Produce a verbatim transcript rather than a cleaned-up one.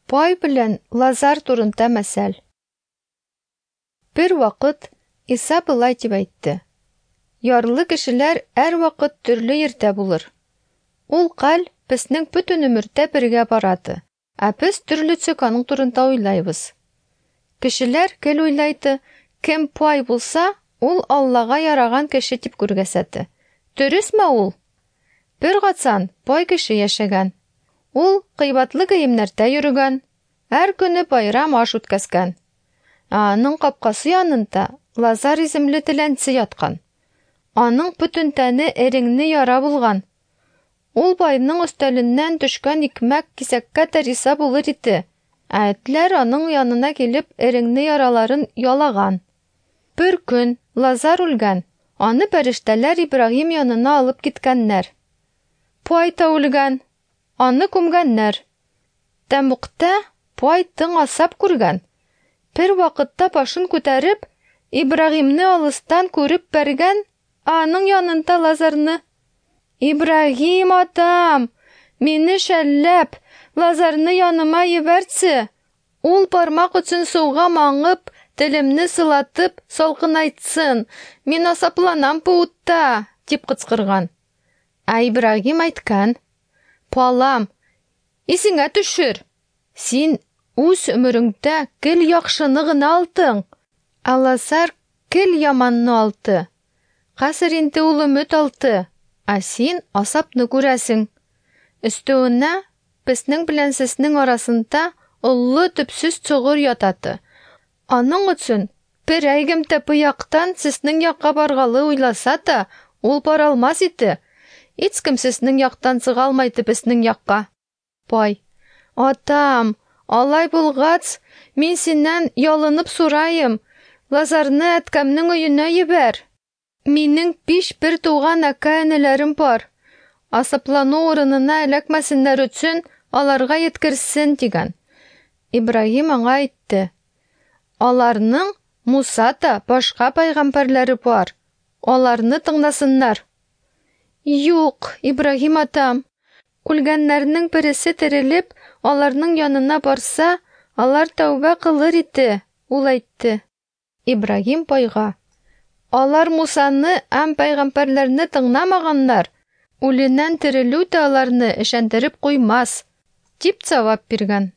Пай белән Лазар турында мәсәл. Бер вакыт Иса былай дип әйтте: Ярлы кешеләр һәрвакыт төрле йирдә булыр. Ул хәл безнең бөтен өмердә бергә барады, ә без төрлечә аның турында уйлайбыз. Кешеләр гел уйлайды, кем пай булса, ул Аллага яраган кеше дип күргәсәте. Дөресме ул? Бер качан бай кеше яшәгән. Ул кыйбатлы киемнәрдә йөргән, һәр көне байрам аш үткәзгән. Ә аның капкасы янында Лазар исемле теләнче яткан. Аның бөтен тәне эреңне яра булган. Ул байның өстәленнән төшкән икмәк кисәккә дә риза булыр иде. Ә этләр аның янына килеп эреңне яраларын ялаган. Бер көн Лазар үлгән. Аны фәрештәләр Ибраһим янына алып киткәннәр. Пай та үлгән. Аны күмгәннәр. Тәмугта пай тың асап күргән. Бер вакытта башын күтәреп, Ибраһимны алыстан күреп бәргән, ә аның янында Лазарны. Ибраһим атам, мине шәлләп, Лазарны яныма ебәртсе. Ул бармак өчен суга маңып, телемне сылатып, салкынайтсын. Мин асапланам бу утта, дип кычкырган. Ә Ибраһим әйткән: Балам, исеңә төшер. Син үз өмереңдә гел яхшыны гына алдың. Ә Лазар гел яманны алды. Хәзер инде ул өмет алды, ә син асапны күрәсең. Өстәвенә безнең белән сезнең арасында олы төпсез чоңгыр ятады. Аның өчен бер әйгем дә бу яктан сезнең якка баргалы уйласа да, ул бара алмас иде. Һичкем сезнең яктан чыга алмайды безнең якка. Бай: Атам, алай булгач, мин синнән ялынып сорайым, Лазарны әткәмнең өенә җибәр. Минем биш бер туган әкә-энеләрем бар. Асаплану урынына эләкмәсеннәр өчен аларга еткерсен, дигән. Ибраһим аңа әйтте: Аларның Муса да башка пайгамбарлары бар. Аларны тыңласыннар. Юк, Ибраһим атам, үлгәннәрнең бересе терелеп, аларның янына барса, алар тәүбә кылыр иде, ул әйтте. Ибраһим байга: Алар Мусаны һәм пайгамбарларны тыңламаганнар. Үленнән терелү дә аларны ышандырып куймас, дип җавап биргән.